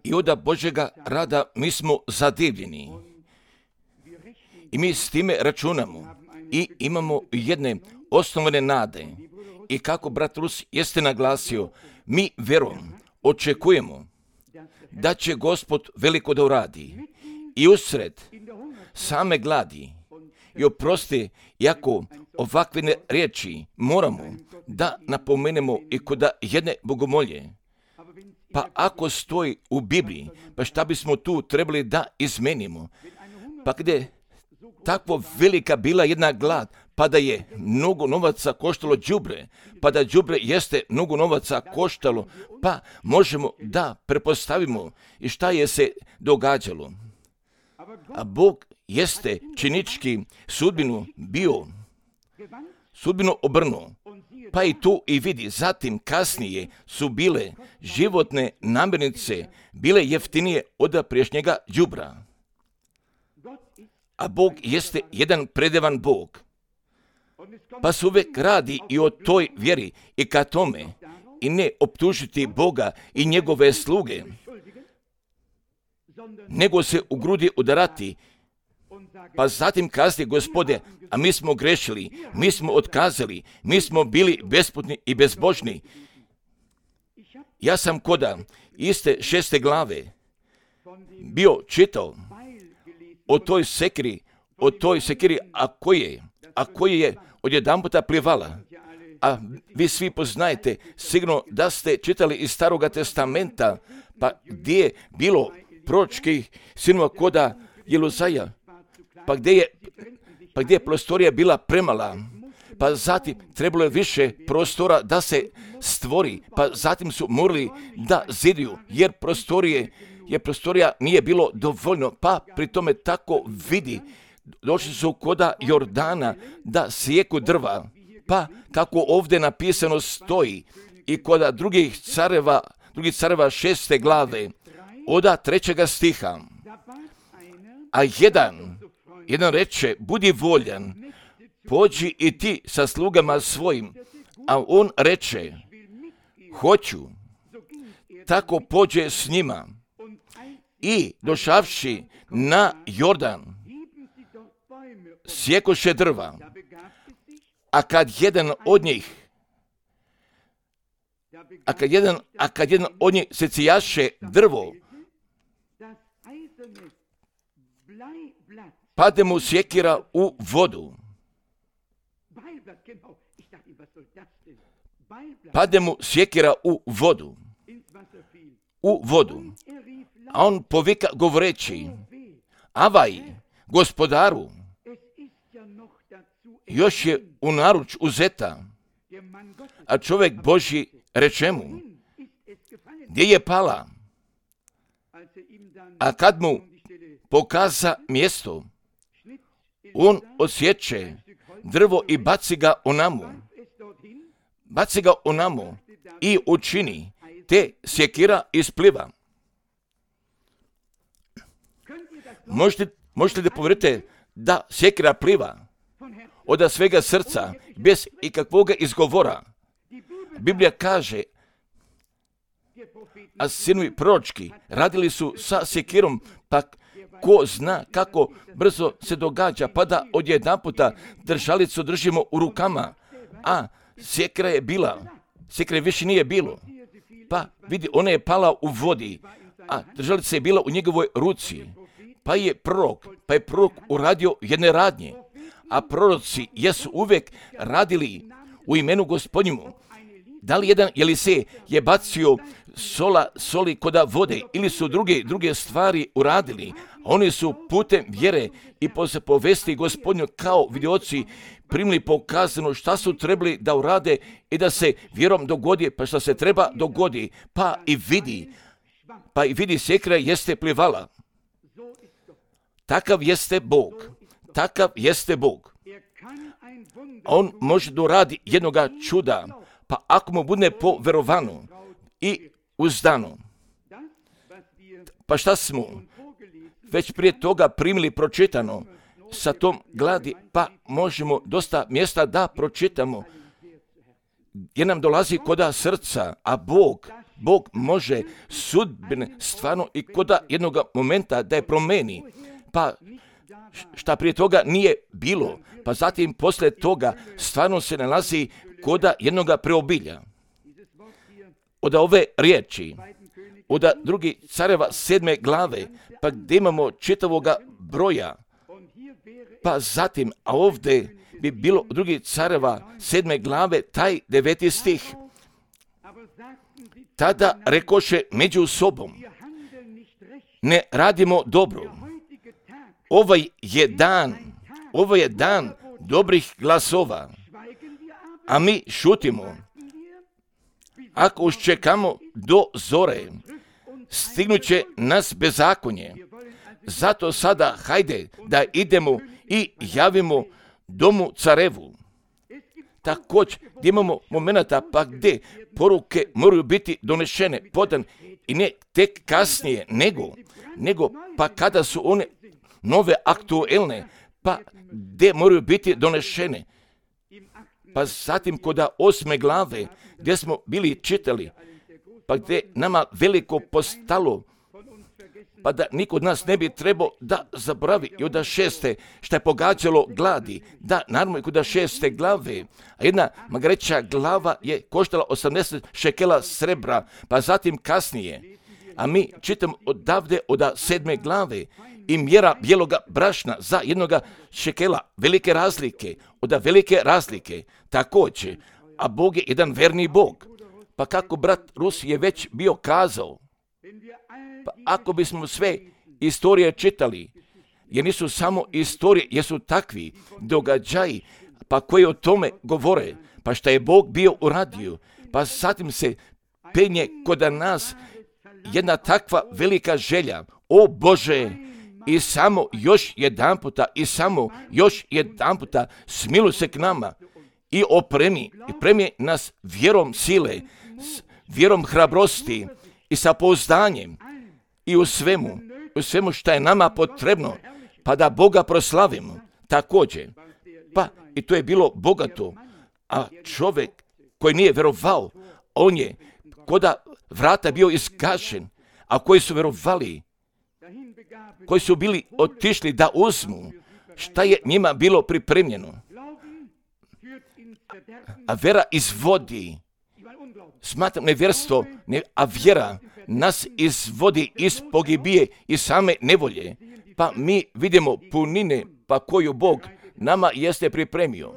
I od Božjega rada mi smo zadivljeni. I mi s time računamo. I imamo jedne osnovne nade. I kako brat Rus jeste naglasio, mi vjerom očekujemo da će Gospod veliko da uradi. I usred same gladi. I oprosti, jako ovakve riječi moramo da napomenemo i kod jedne bogomolje. Pa ako stoji u Bibliji, pa šta bismo tu trebali da izmenimo? Pa gdje takvo velika bila jedna glad, pa da je mnogo novaca koštalo đubre, pa da đubre jeste mnogo novaca koštalo, pa možemo da prepostavimo i šta je se događalo. A Bog jeste činički sudbinu obrnuo, pa i tu i vidi. Zatim kasnije su bile životne namirnice, bile jeftinije od prijašnjega đubra. A Bog jeste jedan predivan Bog. Pa se uvijek radi i o toj vjeri i ka tome i ne optužiti Boga i njegove sluge, nego se u grudi udarati. Pa zatim kazati, Gospode, a mi smo grešili, mi smo otkazali, mi smo bili besputni i bezbožni. Ja sam koda iste 6. glave bio čitao o toj sekiri, a koji je odjedanputa plivala. A vi svi poznajete, sigurno da ste čitali iz Staroga testamenta, pa gdje je bilo proročkih sinova koda Jeluzaja, pa gdje je prostorija bila premala, pa zatim trebalo je više prostora da se stvori, pa zatim su morali da ziduju, jer prostorija nije bilo dovoljno, pa pri tome tako vidi, došli su koda Jordana da sijeku drva, pa kako ovdje napisano stoji i koda drugih careva 6. glave, od 3. stiha, a jedan reče, budi voljan, pođi i ti sa slugama svojim, a on reče, hoću, tako pođe s njima i došavši na Jordan, sjekoše drva, a kad jedan od njih secijaše drvo, pade mu sjekira u vodu. A on povika govoreći, avaj, gospodaru, još je u naruč uzeta. A čovjek Božji reče mu, gdje je pala? A kad mu pokaza mjesto, on osjeće drvo i baci ga onamo i učini, te sjekira ispliva. Možete da povjerite da sjekira pliva od svega srca, bez ikakvoga izgovora. Biblija kaže, a sinovi proročki radili su sa sjekirom, pa ko zna kako brzo se događa, pa da odjedanputa držalicu držimo u rukama, a sjekira više nije bilo. Pa vidi, ona je pala u vodi, a držalica je bila u njegovoj ruci. Pa je prorok uradio jedne radnje, a proroci jesu uvijek radili u imenu Gospodnjemu. Da li jedan Jelisej je bacio soli koda vode ili su druge stvari uradili, oni su putem vjere i posle povesti Gospodnju kao vidioci primili pokazano šta su trebali da urade i da se vjerom dogodi, pa šta se treba dogodi, pa i vidi sjekira jeste plivala. Takav jeste Bog. On može da uradi jednoga čuda, pa ako mu bude poverovano i uzdano. Pa šta smo već prije toga primili pročitano sa tom gladi, pa možemo dosta mjesta da pročitamo gdje nam dolazi koda srca, a Bog može sudbine stvarno i koda jednog momenta da je promeni, pa šta prije toga nije bilo, pa zatim poslije toga stvarno se nalazi koda jednoga preobilja. Od ove riječi, od drugi careva 7. glave, pa gdje imamo čitavoga broja, pa zatim, a ovdje bi bilo drugi careva 7. glave, taj 9. stih. Tada rekoše među sobom, ne radimo dobro. Ovaj je dan dobrih glasova, a mi šutimo. Ako užčekamo do zore, stignuće nas bezakonje. Zato sada hajde da idemo i javimo domu carevu. Također gdje imamo momenata pa gdje poruke moraju biti donešene, podan i ne tek kasnije, nego pa kada su one nove aktuelne, pa gdje moraju biti donešene. Pa zatim kod 8. glave gdje smo bili čitali, pa gdje nama veliko postalo, pa da niko od nas ne bi trebao da zaboravi i od 6. što je pogađalo gladi, da naravno i kod 6. glave, a jedna magreća glava je koštala 80 šekela srebra, pa zatim kasnije, a mi čitamo odavde od 7. glave i mjera bijeloga brašna za 1 šekela, velike razlike, također, a Bog je jedan verni Bog, pa kako brat Rus je već bio kazao, pa ako bismo sve istorije čitali, jer nisu samo istorije, jesu takvi događaji, pa koji o tome govore, pa šta je Bog bio uradio, pa zatim se penje kod nas jedna takva velika želja, o Bože, i samo još jedan puta smiluj se k nama i opremi nas vjerom sile, vjerom hrabrosti i sa pouzdanjem i u svemu što je nama potrebno, pa da Boga proslavimo također. Pa i to je bilo bogato, a čovjek koji nije vjerovao, on je koda vrata bio izgašen, a koji su vjerovali, koji su bili otišli da uzmu šta je njima bilo pripremljeno. A vera izvodi, smatram nevjerstvo, a vjera nas izvodi iz pogibije i same nevolje. Pa mi vidimo punine pa koju Bog nama jeste pripremio.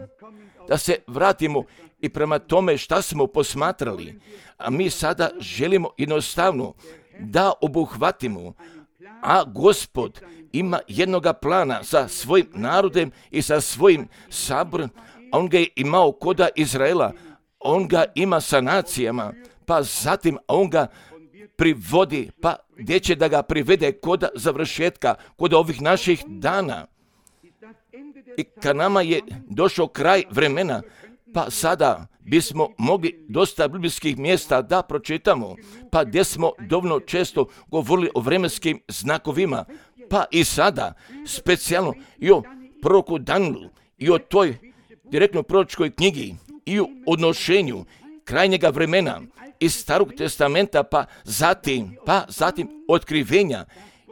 Da se vratimo i prema tome šta smo posmatrali, a mi sada želimo jednostavno da obuhvatimo, a Gospod ima jednoga plana sa svojim narodem i sa svojim saborom. On ga je imao koda Izraela, on ga ima sa nacijama, pa zatim on ga privodi, pa gdje će da ga privede kod završetka, kod ovih naših dana. I kad nama je došao kraj vremena, pa sada bismo mogli dosta biblijskih mjesta da pročitamo, pa gdje smo dovoljno često govorili o vremenskim znakovima, pa i sada specijalno i o proroku Danielu i o toj direktno proročkoj knjigi i o odnošenju krajnjega vremena iz Starog testamenta, pa zatim otkrivenja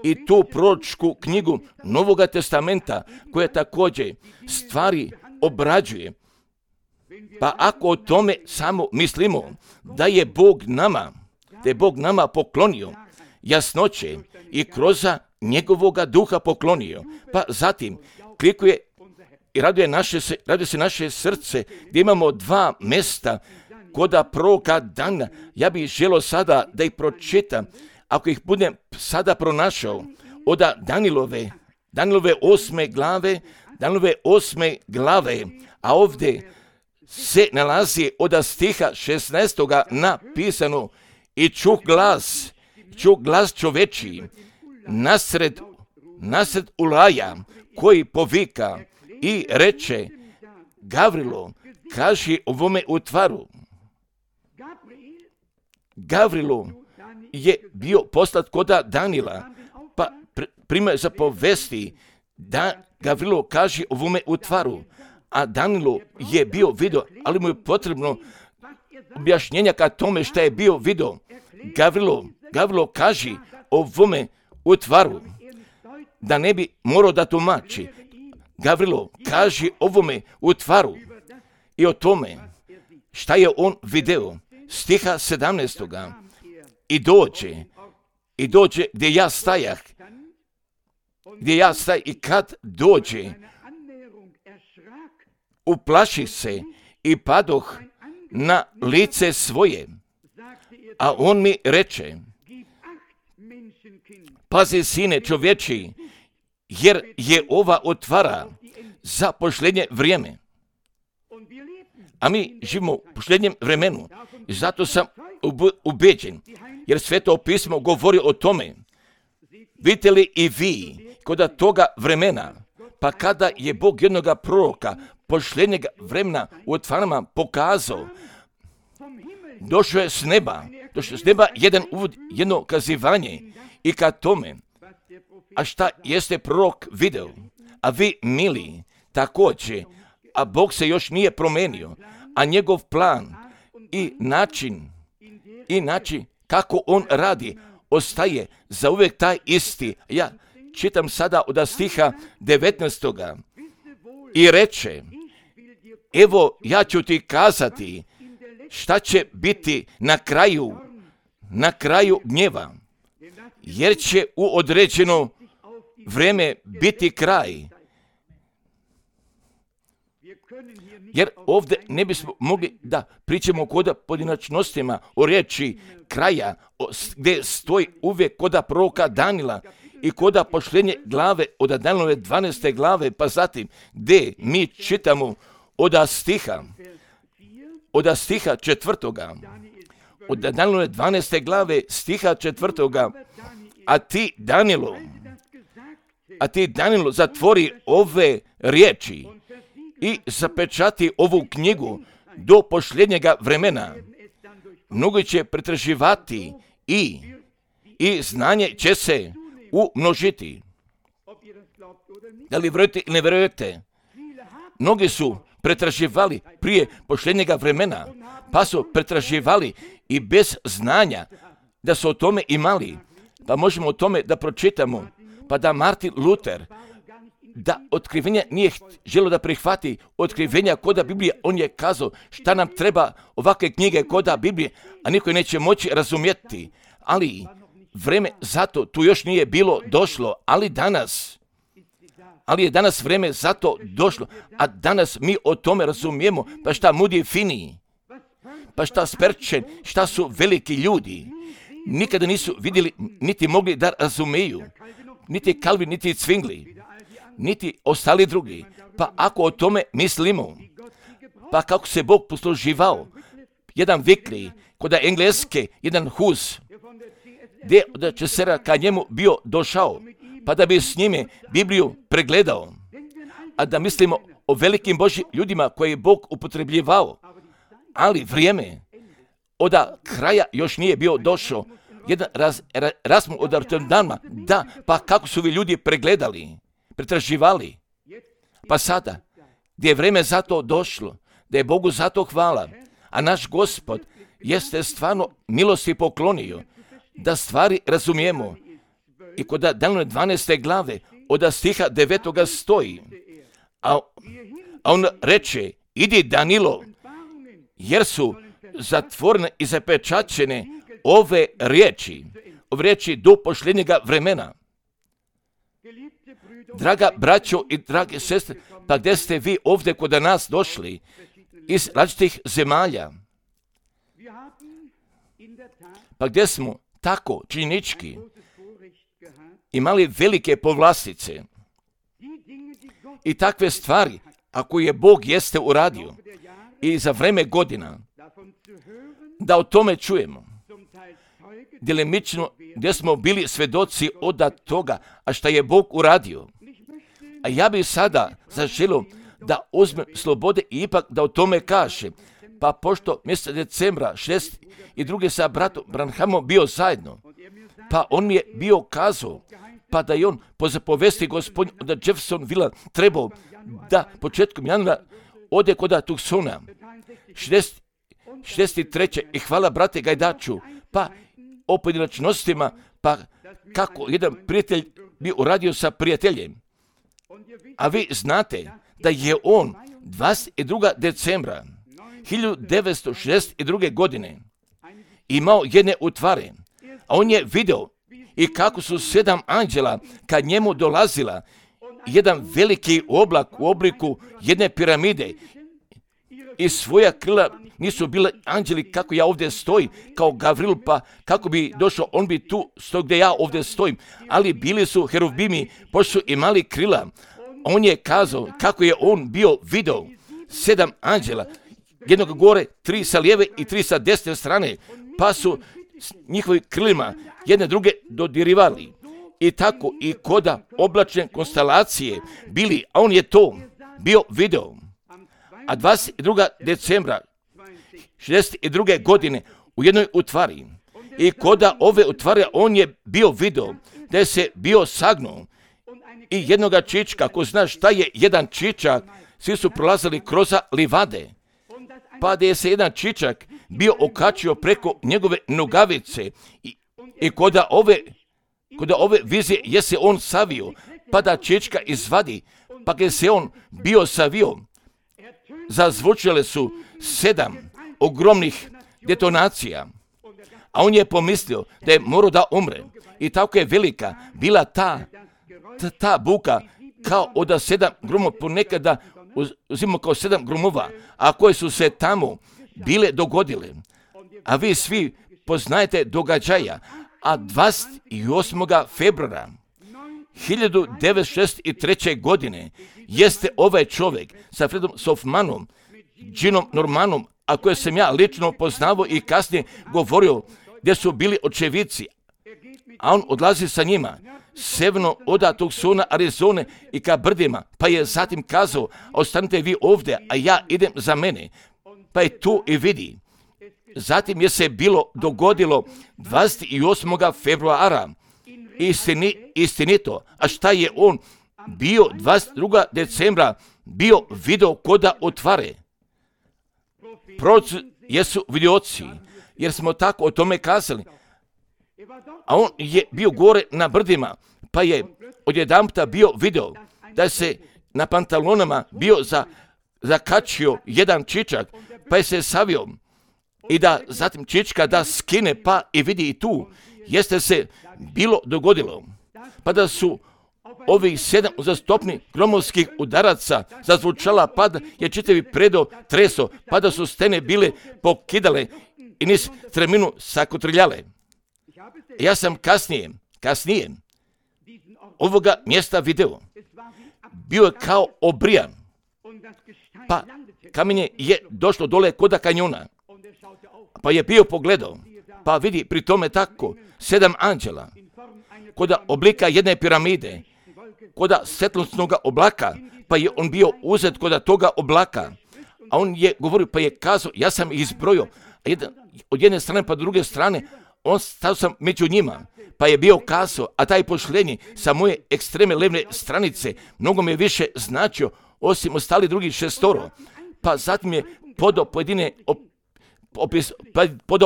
i tu proročku knjigu Novoga testamenta koja također stvari obrađuje. Pa ako o tome samo mislimo da je Bog nama poklonio jasnoće i kroz njegovoga duha poklonio, pa zatim klikuje i raduje se naše srce gdje imamo 2 mjesta koda proroka Dana. Ja bih želio sada da ih pročitam, ako ih budem sada pronašao, od Danilove 8. glave, a ovdje se nalazi od stiha 16. napisano i čuh glas čovečiji nasred ulaja koji povika i reče, Gavrilo, kaži ovome utvaru. Gavrilo je bio poslat koda Danila, pa prima zapovesti da Gavrilo kaži ovome utvaru. A Danilu je bio vidio, ali mu je potrebno objašnjenja ka tome šta je bio video. Gavrilo kaži ovome utvaru, da ne bi morao da tumači. Gavrilo kaži ovome utvaru i o tome šta je on video. Stiha 17. I dođe gdje ja stajah. I kad dođe, uplaši se i padoh na lice svoje. A on mi reče, pazi sine čovječi, jer je ova otvara za posljednje vrijeme. A mi živimo u posljednjem vremenu i zato sam ubeđen, jer Sveto pismo govori o tome. Vidite li i vi kod toga vremena, pa kada je Bog jednoga proroka posljednjeg vremena u otvarama pokazao, došao je s neba jedan uvod, jedno kazivanje i ka tome, a šta jeste prorok video, a vi mili također, a Bog se još nije promenio, a njegov plan i način kako on radi ostaje za uvijek taj isti. Ja čitam sada od stiha 19. I reče, evo ja ću ti kazati šta će biti na kraju gnjeva, jer će u određeno vrijeme biti kraj. Jer ovdje ne bismo mogli da pričamo kod pojedinačnostima o riječi kraja, gdje stoji uvijek kod proroka Danila i kod posljednje glave od Danilove 12. glave, pa zatim gdje mi čitamo od stiha 4. Od Danilove 12. glave stiha 4. A ti Danilo zatvori ove riječi i zapečati ovu knjigu do posljednjega vremena. Mnogi će pretraživati i znanje će se umnožiti. Da li vjerujete ili ne vjerujete? Mnogi su pretraživali prije posljednjega vremena, pa su pretraživali i bez znanja da su o tome imali. Pa možemo o tome da pročitamo, pa da Martin Luther, da otkrivenja nije želio da prihvati otkrivenja koda Biblije, on je kazao šta nam treba ovakve knjige koda Biblije, a niko neće moći razumjeti. Ali vreme zato tu još nije bilo došlo, ali je danas vreme zato došlo, a danas mi o tome razumijemo, pa šta Moody Finney, pa šta Spurgeon, šta su veliki ljudi, nikada nisu vidjeli, niti mogli da razumeju, niti Calvin, niti Zwingli, niti ostali drugi. Pa ako o tome mislimo, pa kako se Bog posluživao, jedan Vikli, kod Engleske, jedan Hus, gdje od Česera ka njemu bio došao, pa da bi s njime Bibliju pregledao, a da mislimo o velikim Božjim ljudima koje je Bog upotrebljivao, ali vrijeme od kraja još nije bio došao. Jedan razmu od Rotterdama, da, pa kako su vi ljudi pregledali, pretraživali. Pa sada, gdje je vrijeme za to došlo, da je Bogu za to hvala, a naš Gospod jeste stvarno milosti poklonio, da stvari razumijemo. I kod Danilove 12. glave, od stiha 9. stoji, a on reče, idi Danilo, jer su zatvorene i zapečaćene ove riječi do posljednjega vremena. Draga braćo i drage sestre, pa gdje ste vi ovdje kod nas došli iz različitih zemalja? Pa gdje smo tako činjenički imali velike povlastice i takve stvari, ako je Bog jeste uradio i za vreme godina, da o tome čujemo. Djelimično gdje smo bili svedoci od toga, a šta je Bog uradio. A ja bih sada zaželio da uzmem slobode i ipak da o tome kaže. Pa pošto mjeseca decembra 62. sa bratom Branhamom bio zajedno, pa on mi je bio kazao, pa da je on po zapovesti gospodin od Jeffersonville trebao da početkom januara ode kod Tucsona 63. I hvala brate Gajdaču, pa o pojedinačnostima, pa kako jedan prijatelj bi uradio sa prijateljem. A vi znate da je on 22. decembra 1962. godine imao jedne utvare, a on je video i kako su 7 anđela kad njemu dolazila jedan veliki oblak u obliku jedne piramide i svoja krila nisu bile anđeli kako ja ovdje stojim, kao Gavril, pa kako bi došao, on bi tu stoj gdje ja ovdje stojim, ali bili su heruvimi, pošto su imali krila. On je kazao kako je on bio video 7 anđela, jednog gore, 3 sa lijeve i 3 sa desne strane, pa su s njihovim krilima jedne druge dodirivali. I tako i koda oblačne konstelacije bili, a on je to bio video. A 22. decembra 62. godine u jednoj utvari i koda ove utvare on je bio video da je se bio sagnuo i jednoga čička, ko zna šta je jedan čičak, svi su prolazili kroz livade, pa da je se jedan čičak bio okačio preko njegove nogavice i koda ove vizije je se on savio, pa da čička izvadi, pa gdje se on bio savio, zazvučile su 7 ogromnih detonacija, a on je pomislio da je morao da umre. I tako je velika bila ta buka kao od 7 grumova, ponekada uzimamo kao 7 grumova, a koje su se tamo bile dogodile. A vi svi poznajete događaja, a 28. februara 1963. godine jeste ovaj čovjek sa Fredom Sofmanom, Ginom Normanom, a koje sam ja lično poznavao i kasnije govorio gdje su bili očevici, a on odlazi sa njima severno od Tucsona, Arizone i ka brdima, pa je zatim kazao, ostanite vi ovdje, a ja idem za mene, pa je tu i vidi. Zatim je se bilo dogodilo 28. februara, istinito, a šta je on bio 22. decembra bio video koda otvare. Proroci jesu vidioci, jer smo tako o tome kazali. A on je bio gore na brdima, pa je odjedanputa bio video da se na pantalonama bio zakačio jedan čičak, pa je se savio i da zatim čička da skine, pa i vidi i tu jeste se bilo dogodilo, pa da su ovih 7 uzastopnih gromovskih udaraca zazvučala, pa da je čitavi predo treso, pa da su stene bile pokidale i niz treminu sakotrljale. Ja sam kasnije ovoga mjesta video. Bio je kao obrijan, pa kamenje je došlo dole koda kanjona, pa je bio pogledao, pa vidi pri tome tako 7 anđela, koda oblika jedne piramide, koda svjetlosnog oblaka, pa je on bio uzet koda toga oblaka, a on je govorio, pa je kazao, ja sam ih izbrojio, od jedne strane pa druge strane, on stao sam među njima, pa je bio kazao, a taj pošlenji sa moje ekstreme levne stranice mnogo mi je više značio, osim ostali drugih 6. Pa zatim je podao pojedine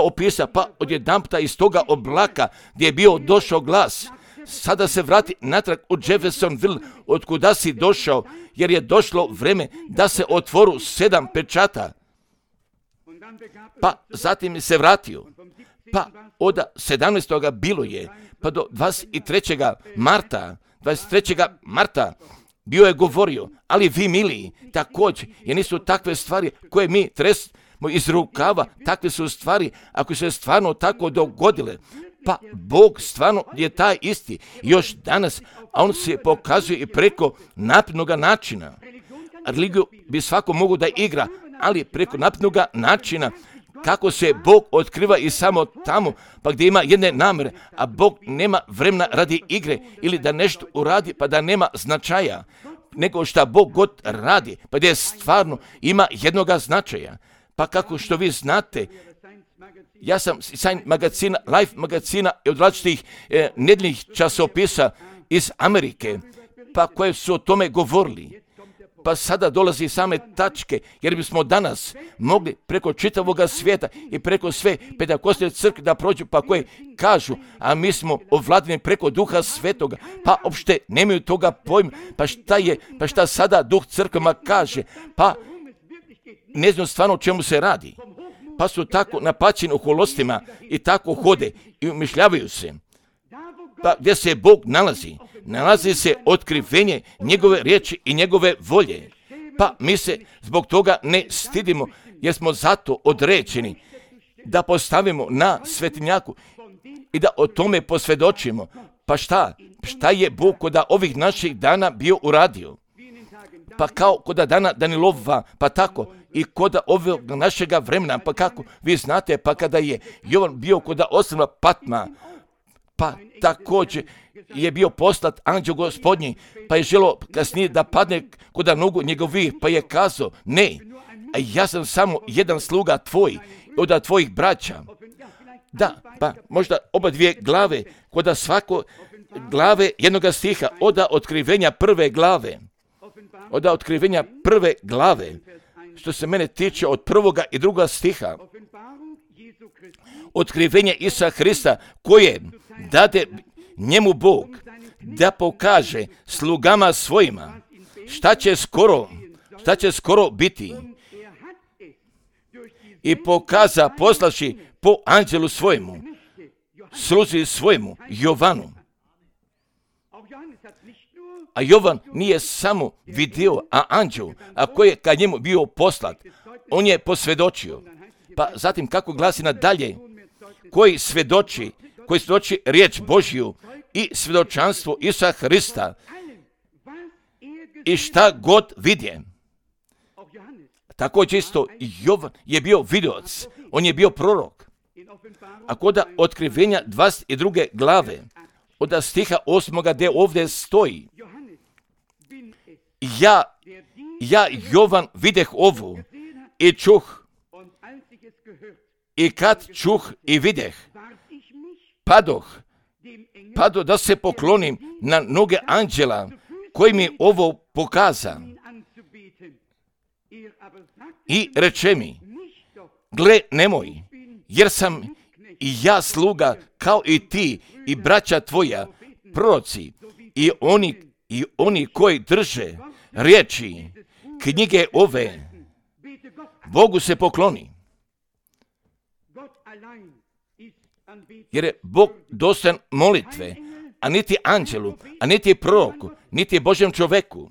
opisa, pa odjedanputa iz toga oblaka gdje je bio došao glas, sada se vrati natrag u Jeffersonville, od kuda si došao, jer je došlo vreme da se otvoru 7 pečata. Pa zatim se vratio, pa od 17. bilo je, pa do 23. marta bio je govorio, ali vi miliji, također, jer nisu takve stvari koje mi tresmo iz rukava, takve su stvari, ako se stvarno tako dogodile, pa Bog stvarno je taj isti, još danas, a on se pokazuje i preko naprednog načina. Religiju bi svako mogu da igra, ali preko naprednog načina, kako se Bog otkriva i samo tamo, pa gdje ima jedne namere, a Bog nema vremena radi igre ili da nešto uradi pa da nema značaja, nego šta Bog god radi, pa gdje stvarno ima jednoga značaja. Pa kako što vi znate, ja sam Science magazina, Life magazina i od različitih nedeljnih časopisa iz Amerike, pa koje su o tome govorili. Pa sada dolazi same tačke, jer bismo danas mogli preko čitavoga svijeta i preko sve Pentekostne crkve da prođu, pa koje kažu, a mi smo ovladani preko Duha Svetoga, pa uopšte nemaju toga pojma, pa šta sada Duh crkvama kaže, pa ne znam stvarno o čemu se radi. Pa su tako napaćeni u holostima i tako hode i umišljavaju se. Pa gdje se Bog nalazi? Nalazi se otkrivenje njegove riječi i njegove volje. Pa mi se zbog toga ne stidimo, jer smo zato određeni da postavimo na svetinjaku i da o tome posvjedočimo. Pa šta je Bog kod ovih naših dana bio uradio? Pa kao kod dana Danilova, pa tako i kod ovog našega vremena, pa kako vi znate, pa kada je Jovan bio kod ostrva Patma, pa također je bio poslat anđeo Gospodnji, pa je želio kasnije da padne kod nogu njegovih, pa je kazao, ne, ja sam samo jedan sluga tvoj, od tvojih braća. Da, pa možda oba dvije glave, kod svako glave jednoga stiha, od otkrivenja prve glave. Od otkrivenja prve glave, što se mene tiče od prvoga i druga stiha, otkrivenje Isusa Hrista koje dade njemu Bog da pokaže slugama svojima šta će skoro biti, i pokaza poslaši po anđelu svojemu, sluzi svojemu Jovanu. A Jovan nije samo vidio, a anđel, a koji je ka njemu bio poslat, on je posvjedočio. Pa zatim kako glasi nadalje, koji svjedoči riječ Božju i svjedočanstvo Isusa Hrista i šta god vidje. Također isto Jovan je bio vidioc, on je bio prorok. A kod otkrivenja 22. glave, od stiha 8. gdje ovdje stoji, ja Jovan videh ovu i čuh, i kad čuh i videh, padoh da se poklonim na noge anđela koji mi ovo pokaza. I reče mi, gle nemoj, jer sam i ja sluga kao i ti i braća tvoja, proroci, i oni koji drže riječi knjige ove, Bogu se pokloni. Jer je Bog dostojan molitve, a niti anđelu, a niti proroku, niti Božjem čoveku.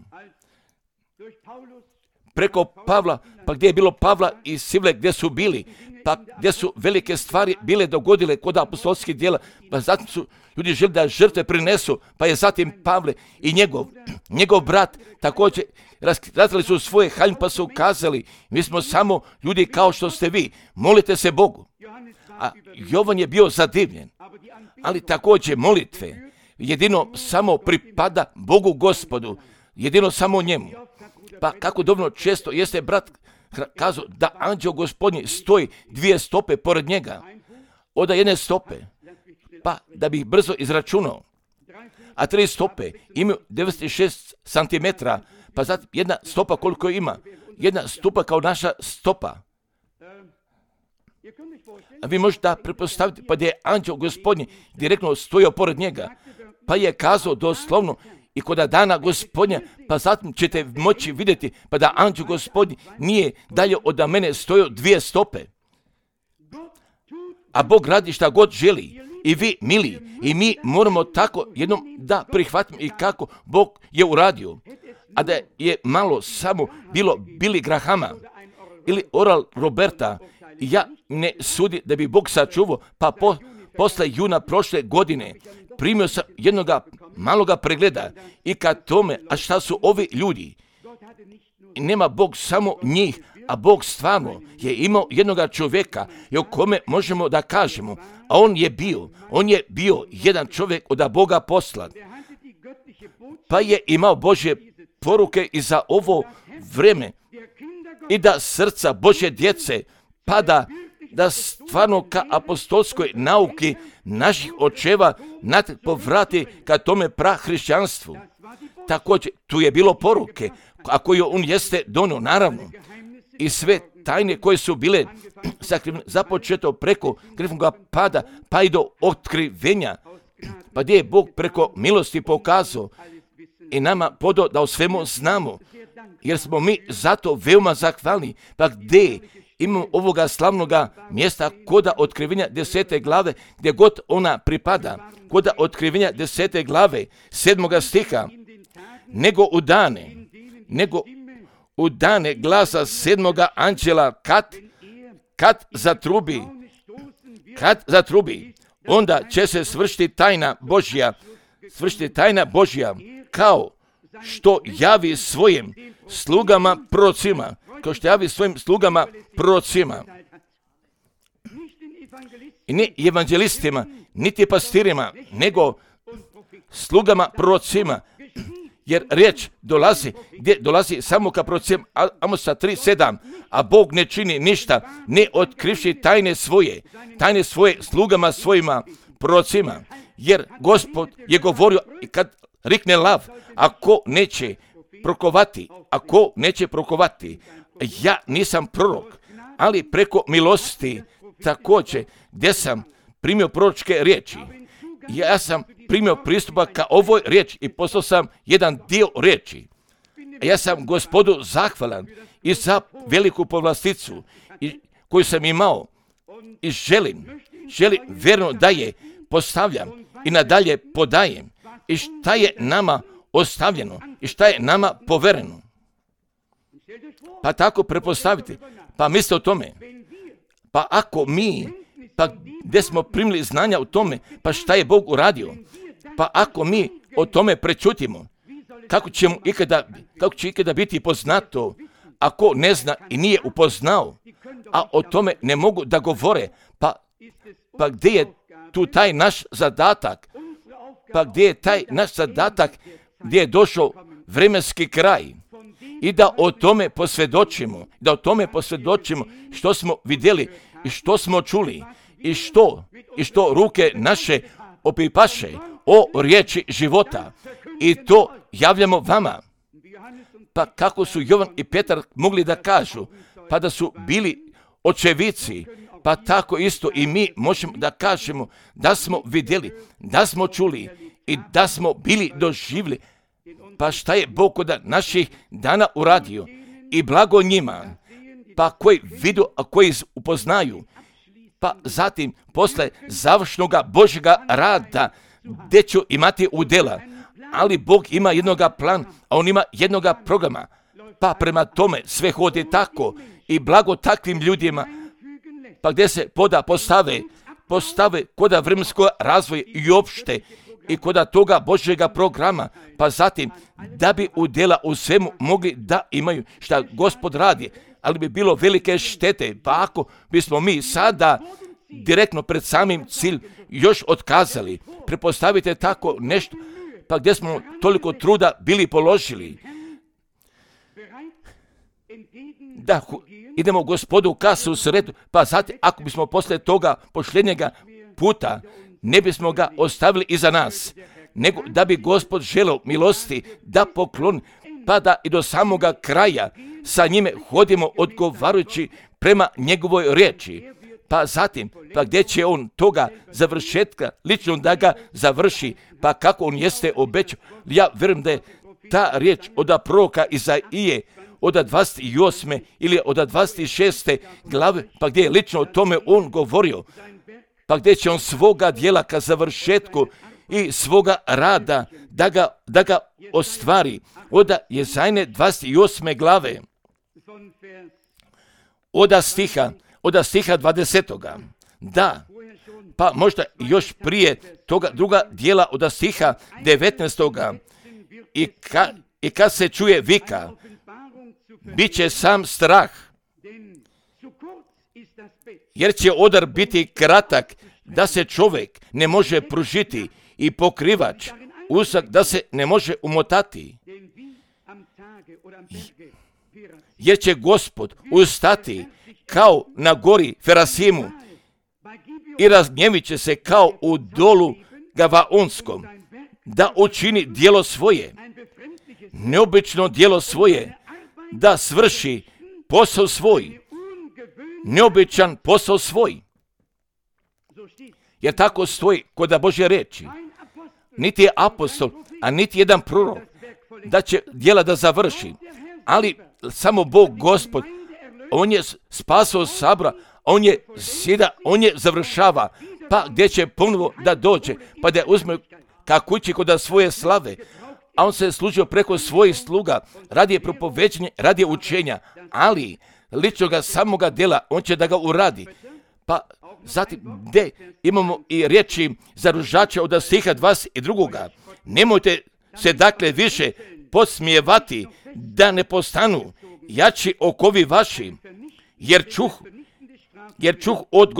Preko Pavla, pa gdje je bilo Pavla i Sivle gdje su bili, pa gdje su velike stvari bile dogodile kod apostolskih djela, pa zatim su ljudi želi da žrtve prinesu, pa je zatim Pavle i njegov brat također razkrili su svoje haljine, pa su kazali, mi smo samo ljudi kao što ste vi, molite se Bogu. A Jovan je bio zadivljen, ali također molitve jedino samo pripada Bogu Gospodu, jedino samo njemu. Pa kako dovoljno često jeste brat kazao da anđeo Gospodnji stoji 2 stope pored njega, od jedne stope, pa da bi ih brzo izračunao, a 3 stope imaju 96 cm, pa zatim jedna stopa koliko ima, jedna stopa kao naša stopa. A vi možete pretpostaviti, pa da je anđeo Gospodnji direktno stojio pored njega, pa je kazao doslovno, i kod dana Gospodnja, pa zatim ćete moći vidjeti, pa da anđeo Gospodnji nije dalje od mene stojio 2 stope. A Bog radi šta god želi. I vi, mili, i mi moramo tako jednom da prihvatimo i kako Bog je uradio. A da je malo samo bilo Billy Grahama ili Oral Roberta, ja ne sudi da bi Bog sačuvao, pa posle juna prošle godine primio sam jednoga maloga pregleda i kad tome, a šta su ovi ljudi? Nema Bog samo njih, a Bog stvarno je imao jednoga čovjeka i o kome možemo da kažemo, a on je bio jedan čovjek od Boga poslat, pa je imao Božje poruke i za ovo vreme i da srca Božje djece pada da stvarno ka apostolskoj nauki naših očeva povrati ka tome prahrišćanstvu. Također, tu je bilo poruke, a koje on jeste donio, naravno, i sve tajne koje su bile započeto preko grehovnog pada, pa i do otkrivenja, pa gdje je Bog preko milosti pokazao i nama podao da o svemu znamo, jer smo mi zato veoma zahvalni. Pa gdje imamo ovoga slavnoga mjesta koda otkrivenja 10. glave, gdje god ona pripada, koda otkrivenja 10. glave 7. stiha, nego u dane glasa 7. anđela kad zatrubi, onda će se svršiti tajna Božja, kao što javi svojim slugama prorocima, i ne evanđelistima, niti pastirima, nego slugama prorocima, jer riječ dolazi samo ka prorocima. Amosa 3:7, a Bog ne čini ništa, ne otkrivši tajne svoje slugama svojima prorocima, jer Gospod je govorio, i kad rikne lav, ako neće prokovati, ja nisam prorok, ali preko milosti također, gdje sam primio proročke riječi, ja sam primio pristupa ka ovoj riječi i poslao sam jedan dio riječi. Ja sam Gospodu zahvalan i za veliku povlasticu koju sam imao i želim vjerno da je postavljam i nadalje podajem, i šta je nama ostavljeno i šta je nama povereno. Pa tako prepostaviti, pa mislite o tome, pa ako mi, pa gdje smo primili znanja o tome, pa šta je Bog uradio, pa ako mi o tome prečutimo, kako će ikada biti poznato, ako ne zna i nije upoznao, a o tome ne mogu da govore, pa gdje je tu taj naš zadatak, gdje je došao vremenski kraj, i da o tome posvjedočimo, što smo vidjeli i što smo čuli i što ruke naše opipaše o riječi života, i to javljamo vama. Pa kako su Jovan i Petar mogli da kažu, pa da su bili očevici, pa tako isto i mi možemo da kažemo da smo vidjeli, da smo čuli i da smo bili doživjeli. Pa šta je Bog od naših dana uradio, i blago njima, pa koji vidu, a koji upoznaju, pa zatim posle završnoga Božjega rada gdje ću imati udjela, ali Bog ima jednoga plan, a on ima jednoga programa, pa prema tome sve hodi tako, i blago takvim ljudima, pa gdje se postave koda vremenskog razvoja i opšte, i koda toga Božjega programa, pa zatim da bi udjela u svemu mogli da imaju šta Gospod radi, ali bi bilo velike štete, pa ako bismo mi sada direktno pred samim cilj još otkazali. Prepostavite tako nešto, pa gdje smo toliko truda bili položili, da idemo Gospodu ka susretu, pa zatim ako bismo posle toga posljednjega puta ne bismo ga ostavili iza nas, nego da bi Gospod želeo milosti da pokloni, pa da i do samoga kraja sa njime hodimo odgovarajući prema njegovoj riječi. Pa zatim, pa gdje će on toga završetka lično da ga završi, pa kako on jeste obećao. Ja vjerujem da je ta riječ od proroka Izaije od 28. ili od 26. glave, pa gdje je lično o tome on govorio, pa gdje će on svoga djela ka završetku i svoga rada da ga ostvari. Od Jezajne 28. glave, od stiha 20. Da, pa možda još prije toga druga dijela od stiha 19. I kad se čuje vika, bit će sam strah, jer će odar biti kratak, da se čovjek ne može pružiti, i pokrivač usak da se ne može umotati. Jer će Gospod ustati kao na gori Ferasimu i razgnjevit će se kao u dolu Gavaonskom, da učini djelo svoje, neobično djelo svoje, da svrši posao svoj, neobičan posao svoj. Jer tako stoji kod Božje reči. Niti je apostol, a niti jedan prorok da će djela da završi, ali samo Bog Gospod, on je spasao sabora, on je sjeda, on je završava, pa gdje će ponovo da dođe, pa da uzme ka kući kod svoje slave, a on se služio preko svojih sluga, radi propoveđenja, radi učenja, ali ličnoga samoga djela, on će da ga uradi. Pa zatim, gdje imamo i riječi zaružača od stiha 22. Nemojte se dakle više podsmijevati da ne postanu jači okovi vaši, jer čuh od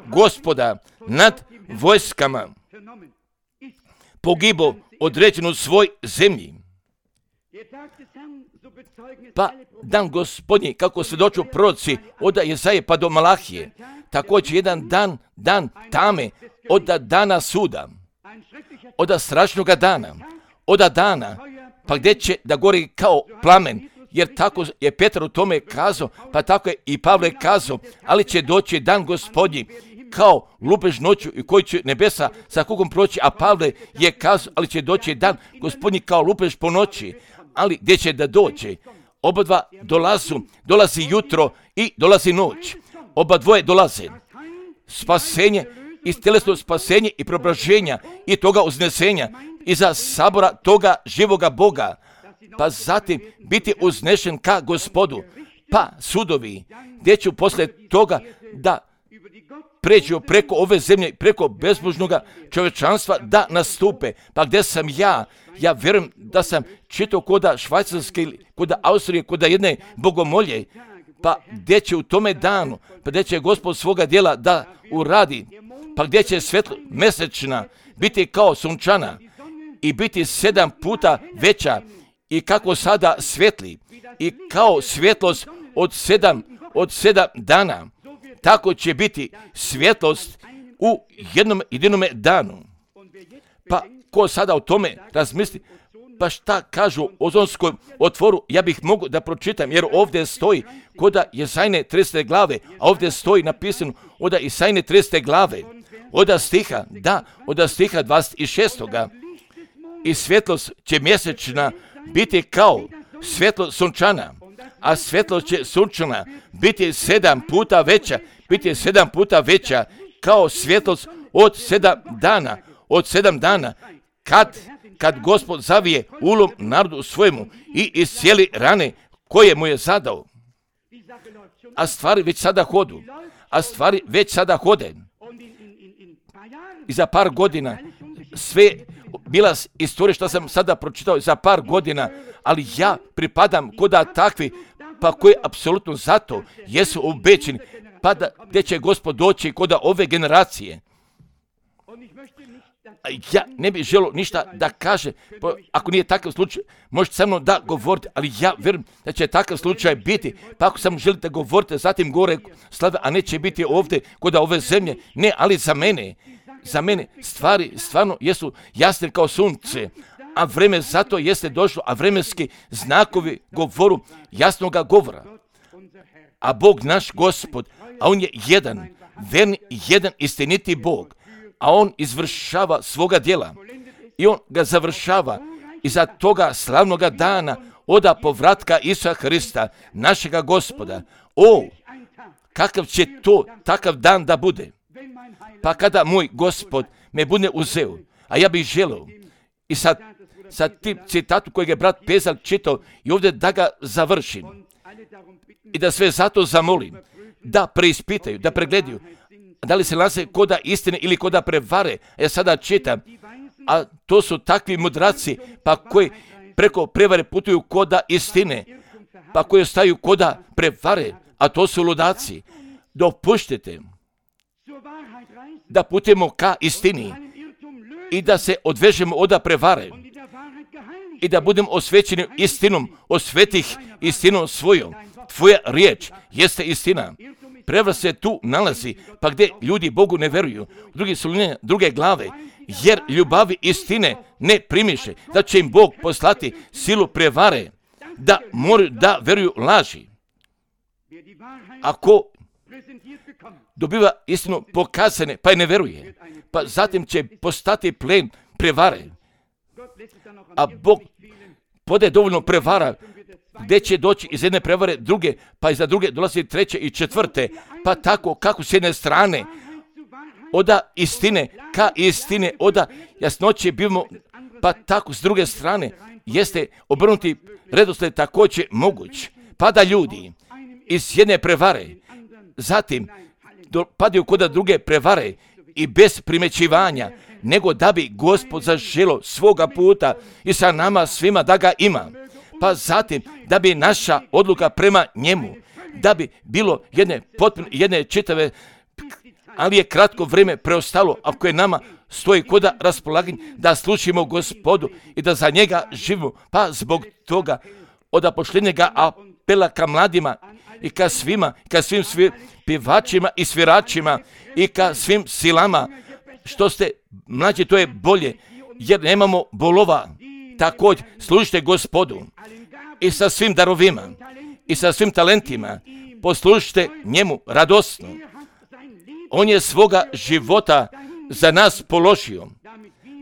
gospoda nad vojskama pogibo određenu svoj zemlji. Pa dan Gospodnji, kako svjedoču proroci od Jesaje pa do Malahije, također jedan dan tame, od dana suda, od strašnoga dana, pa gdje će da gori kao plamen, jer tako je Petar u tome kazao, pa tako je i Pavle kazao, ali će doći dan Gospodnji kao lupež noću i koji će nebesa sa kugom proći, a Pavle je kazao, ali će doći dan Gospodnji kao lupež po noći, ali gdje će da dođe? Oba dva dolazi jutro i dolazi noć. Oba dvoje dolaze. Spasenje, iz tjelesno spasenje i preobraženja i toga uznesenja iza sabora toga živoga Boga, pa zatim biti uznešen ka Gospodu, pa sudovi, gdje ću poslije toga da pređu preko ove zemlje, preko bezbožnoga čovječanstva da nastupe. Pa gdje sam ja vjerujem da sam čitao koda Švajcarske, koda Austrije, koda jedne bogomolje, pa gdje će u tome danu, pa gdje će Gospod svoga djela da uradi, pa gdje će svjetlo mesečna biti kao sunčana i biti 7 puta veća i kako sada svetli i kao svjetlost od 7 dana, tako će biti svjetlost u jednom jedinome danu. Pa ko sada o tome razmisli, pa šta kažu o ozonskom otvoru, ja bih mogu da pročitam, jer ovdje stoji koda Jesajne 30. glave, a ovdje stoji napisano od Jesajne 30. glave, od stiha 26. I svjetlost će mjesečna biti kao svjetlo sunčana, a svjetlost će sunčana biti 7 puta veća, kao svjetlost od 7 dana, kad Gospod zavije ulom narodu svojemu i iscijeli rane koje mu je zadao. A stvari već sada hode. I za par godina sve bila istorija što sam sada pročitao za par godina, ali ja pripadam koda takvi, pa koji apsolutno zato jesu obećeni, pa da gdje će Gospod doći koda ove generacije. Ja ne bih želio ništa da kaže, ako nije takav slučaj, možete sa mnom da govorite, ali ja vjerujem da će takav slučaj biti, pa ako samo želite govoriti, zatim gore slave, a neće biti ovdje kod ove zemlje, ne, ali za mene stvari stvarno jesu jasne kao sunce, a vreme zato jeste došlo, a vremenski znakovi govoru jasnoga govora. A Bog naš Gospod, a on je jedan, verni, jedan istiniti Bog, a on izvršava svoga djela i on ga završava iza toga slavnoga dana oda povratka Isusa Hrista, našega Gospoda. O, kakav će to takav dan da bude? Pa kada moj Gospod me bude uzeo, a ja bih želio i sa tim citatu kojeg je brat Pezal čitao i ovdje da ga završim i da sve zato zamolim da preispitaju, da pregledaju da li se nalaze koda istine ili koda prevare. Ja sada čitam, a to su takvi mudraci, pa koji preko prevare putuju koda istine, pa koji ostaju koda prevare, a to su ludaci. Dopuštite da putujemo ka istini i da se odvežemo od prevare i da budemo osvećeni istinom, osvetih istinom svojom. Tvoja riječ jeste istina. prevara se tu nalazi, pa gdje ljudi Bogu ne veruju, drugi su druge glave, jer ljubavi istine ne primiše, da će im Bog poslati silu prevare, da moraju da veruju laži. Ako dobiva istinu pokazane, pa je ne veruje, pa zatim će postati plen prevare. A Bog podaje dovoljno prevara, gdje će doći iz jedne prevare druge, pa iza druge dolazi treće i četvrte, pa tako kako s jedne strane oda istine ka istine, oda jasnoće bivamo, pa tako s druge strane jeste obrnuti redosled također moguć, pa da ljudi iz jedne prevare zatim padaju kod druge prevare i bez primećivanja, nego da bi Gospod zaželo svoga puta i sa nama svima da ga ima. Pa zatim da bi naša odluka prema njemu, da bi bilo jedne čitave, ali je kratko vrijeme preostalo, ako je nama stoji koda raspolaganje, da slušimo Gospodu i da za njega živimo. Pa zbog toga od poštenjega apela ka mladima i ka svima, ka svim pjevačima i sviračima i ka svim silama, što ste mlađi, to je bolje, jer nemamo bolova. Također služite Gospodu i sa svim darovima i sa svim talentima, poslužite njemu radosno. On je svoga života za nas položio,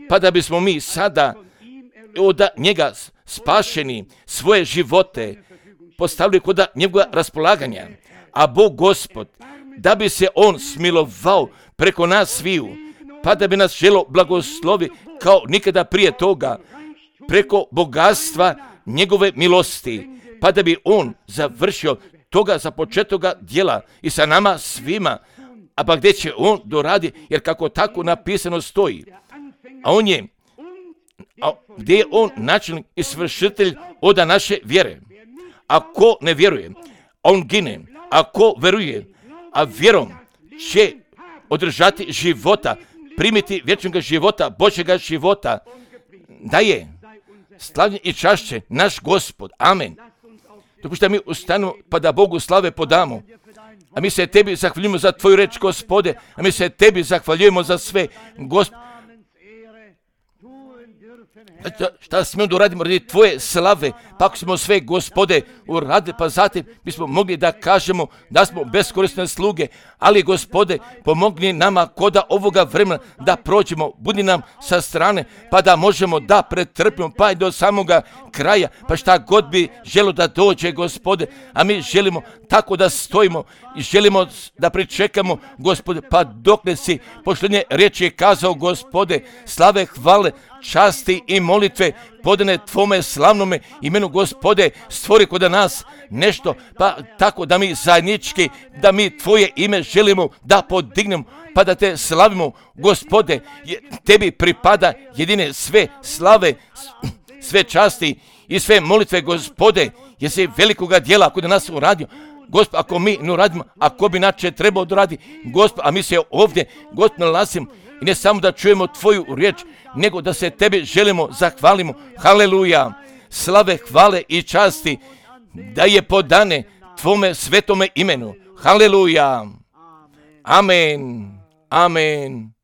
pa da bismo mi sada od njega spašeni svoje živote postavili kod njegova raspolaganja. A Bog Gospod, da bi se on smilovao preko nas sviju, pa da bi nas želo blagoslovi kao nikada prije toga, preko bogatstva njegove milosti, pa da bi on završio toga započetoga djela i sa nama svima, a pa gdje će on doradi, jer kako tako napisano stoji, gdje je on načelnik i svršitelj oda naše vjere. Ako ne vjeruje, on gine. Ako veruje, a vjerom će održati života, primiti vječnog života, Božjega života, da je slavljen i čašće naš Gospod. Amen. Dopušta mi ustanemo pa da Bogu slave podamo. A mi se tebi zahvaljujemo za tvoju reč, Gospode, a mi se tebi zahvaljujemo za sve, Gospod. Šta smijemo da uradimo radi tvoje slave, pa ako smo sve, Gospode, uradili, pa zatim bismo mogli da kažemo da smo beskorisne sluge, ali, Gospode, pomogni nama koda ovoga vremena da prođemo, budi nam sa strane, pa da možemo da pretrpimo, pa i do samoga kraja, pa šta god bi želo da dođe, Gospode, a mi želimo tako da stojimo i želimo da pričekamo, Gospode, pa dok ne si poštenje riječi kazao, Gospode, slave, hvale, časti i molitve podane tvome slavnome imenu, Gospode, stvori kod nas nešto, pa tako da mi zajednički, da mi tvoje ime želimo da podignemo, pa da te slavimo, Gospode, tebi pripada jedine sve slave, sve časti i sve molitve, Gospode, jer si velikoga djela kod nas uradio. Gospod, ako mi ne uradimo, ako bi inače trebao da radi, Gospod, a mi se ovdje, Gospod, nalazimo i ne samo da čujemo tvoju riječ, nego da se tebi želimo, zahvalimo. Haleluja, slave, hvale i časti da je podane tvome svetome imenu. Haleluja, amen, amen.